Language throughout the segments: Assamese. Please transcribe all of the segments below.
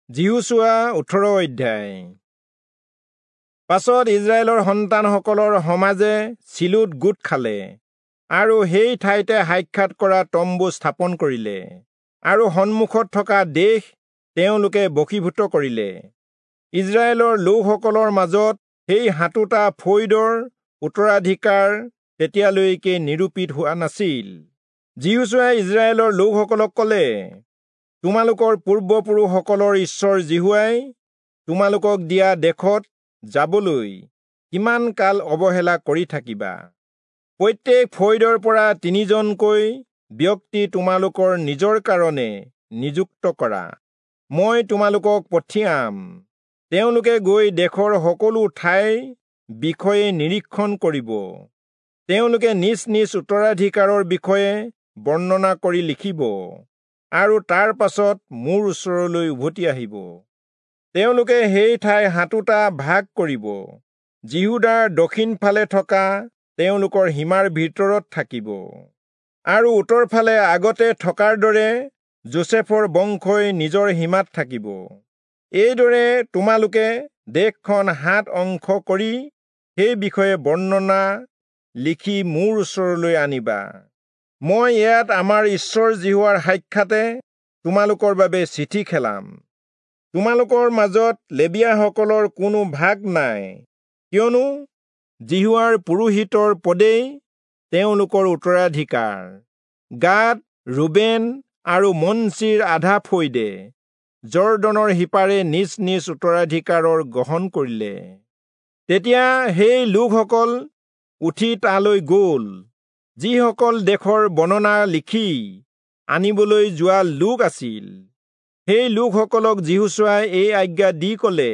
যিহোচূৱা 18 অধ্যায়। পাছত ইস্ৰায়েলৰ সন্তানসকলৰ সমাজে চিলোত গোট খালে আৰু সেই ঠাইতে সাক্ষাৎ কৰা তম্বু স্থাপন কৰিলে আৰু সন্মুখত থকা দেশ তেওঁলোকে বশীভূত কৰিলে। ইস্ৰায়েলৰ লোকসকলৰ মাজত সেই 7টা ফৈদৰ উত্তৰাধিকাৰ তেতিয়ালৈকে নিৰূপিত হোৱা নাছিল। যিহোচূৱাই ইস্ৰায়েলৰ লোকসকলক ক'লে, তোমালোকৰ পূৰ্বপুৰুষসকলৰ ঈশ্বৰ যিহোৱাই তোমালোকক দিয়া দেশত যাবলৈ কিমান কাল অৱহেলা কৰি থাকিবা? প্ৰত্যেক ফৈদৰ পৰা 3জনকৈ ব্যক্তি তোমালোকৰ নিজৰ কাৰণে নিযুক্ত কৰা। মই তোমালোকক পঠিয়াম, তেওঁলোকে গৈ দেশৰ সকলো ঠাইৰ বিষয়ে নিৰীক্ষণ কৰিব। তেওঁলোকে নিজ নিজ উত্তৰাধিকাৰৰ বিষয়ে বৰ্ণনা কৰি লিখিব আৰু তাৰ পাছত মোৰ ওচৰলৈ উভতি আহিব। তেওঁলোকে সেই ঠাই 7টা ভাগ কৰিব। যিহূদাৰ দক্ষিণ ফালে থকা তেওঁলোকৰ সীমাৰ ভিতৰত থাকিব আৰু উত্তৰ ফালে আগতে থকাৰ দৰে যোচেফৰ বংশই নিজৰ সীমাত থাকিব। এইদৰে তোমালোকে দেশখন 7 অংশ কৰি সেই বিষয়ে বৰ্ণনা লিখি মোৰ ওচৰলৈ আনিবা। মই ইয়াত আমাৰ ঈশ্বৰ যিহোৱাৰ সাক্ষাতে তোমালোকৰ বাবে চিঠি খেলাম। তোমালোকৰ মাজত লেবীয়াসকলৰ কোনো ভাগ নাই, কিয়নো যিহোৱাৰ পুৰোহিতৰ পদেই তেওঁলোকৰ উত্তৰাধিকাৰ। গাদ, ৰুবেন আৰু মনচিৰ আধা ফৈদে যৰ্দনৰ সিপাৰে নিজ নিজ উত্তৰাধিকাৰৰ গ্ৰহণ কৰিলে। তেতিয়া সেই লোকসকল উঠি তালৈ গ'ল, যিসকল দেশৰ বৰ্ণনা লিখি আনিবলৈ যোৱা লোক আছিল। সেই লোকসকলক যিহোচূৱাই এই আজ্ঞা দি ক'লে,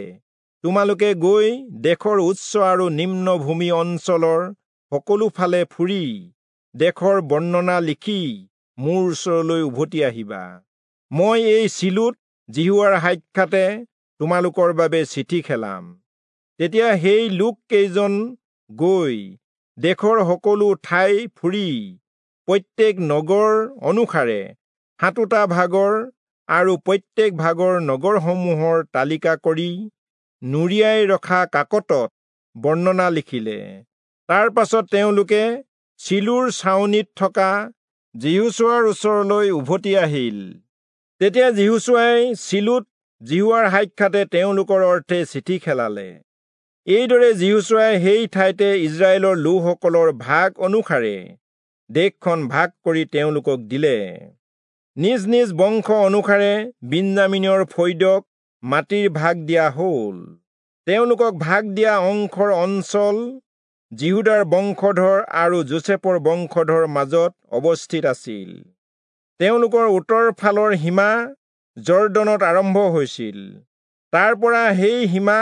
তোমালোকে গৈ দেশৰ উচ্চ আৰু নিম্ন ভূমি অঞ্চলৰ সকলো ফালে ফুৰি দেশৰ বৰ্ণনা লিখি মোৰ ওচৰলৈ উভতি আহিবা। মই এই চিলোত যিহোৱাৰ সাক্ষাতে তোমালোকৰ বাবে চিঠি খেলাম। তেতিয়া সেই লোক কেইজন গৈ দেশৰ সকলো ঠাই ফুৰি প্ৰত্যেক নগৰ অনুসাৰে 7টা ভাগৰ আৰু প্ৰত্যেক ভাগৰ নগৰসমূহৰ তালিকা কৰি নুৰিয়াই ৰখা কাকতত বৰ্ণনা লিখিলে। তাৰ পাছত তেওঁলোকে চিলোৰ ছাউনিত থকা যিহোচূৱাৰ ওচৰলৈ উভতি আহিল। তেতিয়া যিহোচূৱাই চিলোত যিহোৱাৰ সাক্ষাতে তেওঁলোকৰ অৰ্থে চিঠি খেলালে। এইদৰে যিহোচূৱাই সেই ঠাইতে ইস্ৰায়েলৰ লোকসকলৰ ভাগ অনুসাৰে দেশখন ভাগ কৰি তেওঁলোকক দিলে। নিজ নিজ বংশ অনুসাৰে বিন্যামীনৰ ফৈদক মাটিৰ ভাগ দিয়া হ'ল। তেওঁলোকক ভাগ দিয়া অংশৰ অঞ্চল যিহূদাৰ বংশধৰ আৰু যোচেফৰ বংশধৰ মাজত অৱস্থিত আছিল। তেওঁলোকৰ উত্তৰ ফালৰ সীমা যৰ্দনত আৰম্ভ হৈছিল। তাৰ পৰা সেই সীমা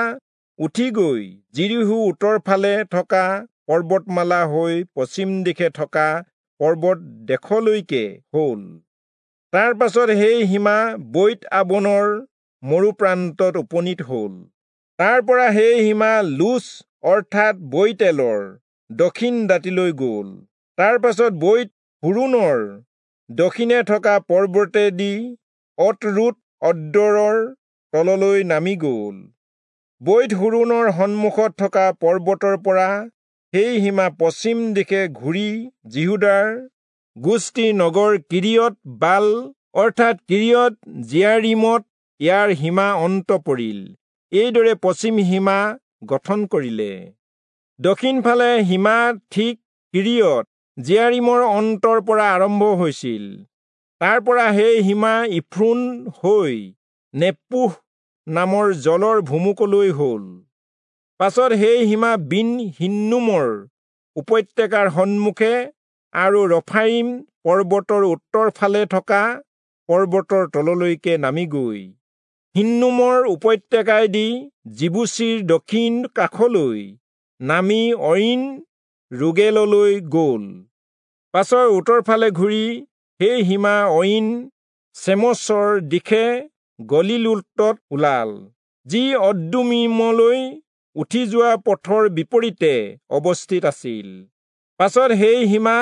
উঠি গৈ যিৰীহো উত্তৰ ফালে থকা পৰ্বতমালা হৈ পশ্চিম দিশে থকা পৰ্বত দেশলৈকে হ'ল। তাৰ পাছত সেই সীমা বৈত আবনৰ মৰুপ্ৰান্তত উপনীত হ'ল। তাৰ পৰা সেই সীমা লুচ অৰ্থাৎ বৈতেলৰ দক্ষিণ দাঁতিলৈ গ'ল। তাৰ পাছত বৈত হোৰোণৰ দক্ষিণে থকা পৰ্বতেদি অতৰোত অদ্দৰৰ তললৈ নামি গ'ল। বৈত হোৰোণৰ সন্মুখত থকা পৰ্বতৰ পৰা সেই সীমা পশ্চিম দিশে ঘূৰি যিহূদাৰ গোষ্ঠীৰ নগৰ কিৰিয়ত বাল অৰ্থাৎ কিৰিয়ত জিয়াৰীমত ইয়াৰ সীমা অন্ত পৰিল। এইদৰে পশ্চিম সীমা গঠন কৰিলে। দক্ষিণ ফালে সীমা ঠিক কিৰিয়ত জিয়াৰীমৰ অন্তৰ পৰা আৰম্ভ হৈছিল। তাৰ পৰা সেই সীমা ইফ্ৰোণ হৈ নেপুহ নামৰ জলৰ ভুমুকলৈ হ'ল। পাছত সেই সীমা বিন হিন্নোমৰ উপত্যকাৰ সন্মুখে আৰু ৰফাইম পৰ্বতৰ উত্তৰ ফালে থকা পৰ্বতৰ তললৈকে নামি গৈ হিন্নোমৰ উপত্যকাইদি যিবূচীৰ দক্ষিণ কাষলৈ নামি অইন ৰোগেললৈ গ'ল। পাছত উত্তৰ ফালে ঘূৰি সেই সীমা অইন চেমচৰ দিশে গলিলোতত ওলাল, যি অদ্দুমীমলৈ উঠি যোৱা পথৰ বিপৰীতে অৱস্থিত আছিল। পাছত সেই সীমা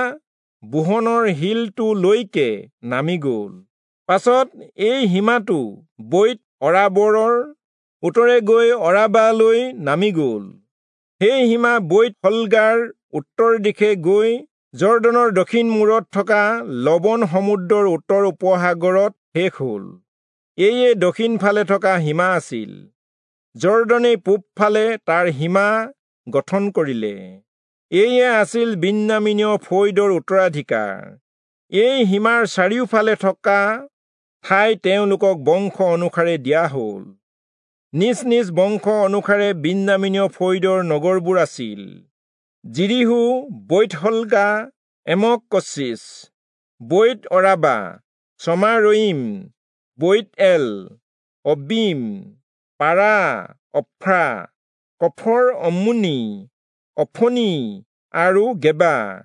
বোহনৰ শিলটোলৈকে নামি গ'ল। পাছত এই সীমাটো বৈত অৰাবোৰৰ উত্তৰে গৈ অৰাবালৈ নামি গ'ল। সেই সীমা বৈৎ হগ্লাৰ উত্তৰ দিশে গৈ যৰ্দনৰ দক্ষিণ মূৰত থকা লৱণ সমুদ্ৰৰ উত্তৰ উপসাগৰত শেষ হ'ল। এয়ে দক্ষিণ ফালে থকা সীমা আছিল। যৰ্দনেই পূবফালে তাৰ সীমা গঠন কৰিলে। এয়ে আছিল বিন্যামীনীয় ফৈদৰ উত্তৰাধিকাৰ। এই সীমাৰ চাৰিওফালে থকা ঠাই তেওঁলোকক বংশ অনুসাৰে দিয়া হ'ল। নিজ নিজ বংশ অনুসাৰে বিন্যামীনীয় ফৈদৰ নগৰবোৰ আছিল যিৰীহো, বৈৎ-হগ্লা, এমক-কচীচ, বৈৎ-অৰাবা, চমাৰয়ীম, বৈৎ-এল, অব্বীম, পাৰা, অফ্ৰা, কফৰ-অম্মোনী, অফনী আৰু গেবা।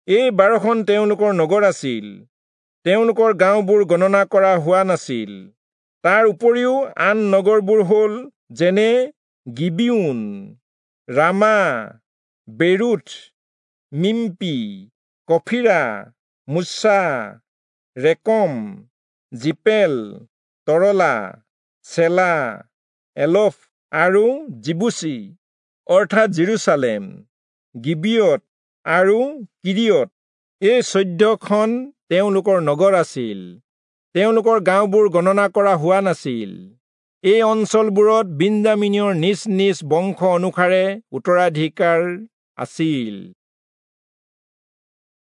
এই 12খন তেওঁলোকৰ নগৰ আছিল। তেওঁলোকৰ গাঁওবোৰ গণনা কৰা হোৱা নাছিল। তাৰ উপৰিও আন নগৰবোৰ হ'ল যেনে গিবিয়োন, ৰামা, বেৰোথ, মিম্পি, কফীৰা, মোচা, ৰেকম, জিপেল, তৰলা, চেলা, এলফ আৰু যিবূচী, অৰ্থাৎ যিৰূচালেম, গিবিয়ত আৰু কিৰিয়ত। এই 14খন তেওঁলোকৰ নগৰ আছিল। তেওঁলোকৰ গাঁওবোৰ গণনা কৰা হোৱা নাছিল। এই অঞ্চলবোৰত বিন্যামীনীয়ৰ নিজ নিজ বংশ অনুসাৰে উত্তৰাধিকাৰ আছিল।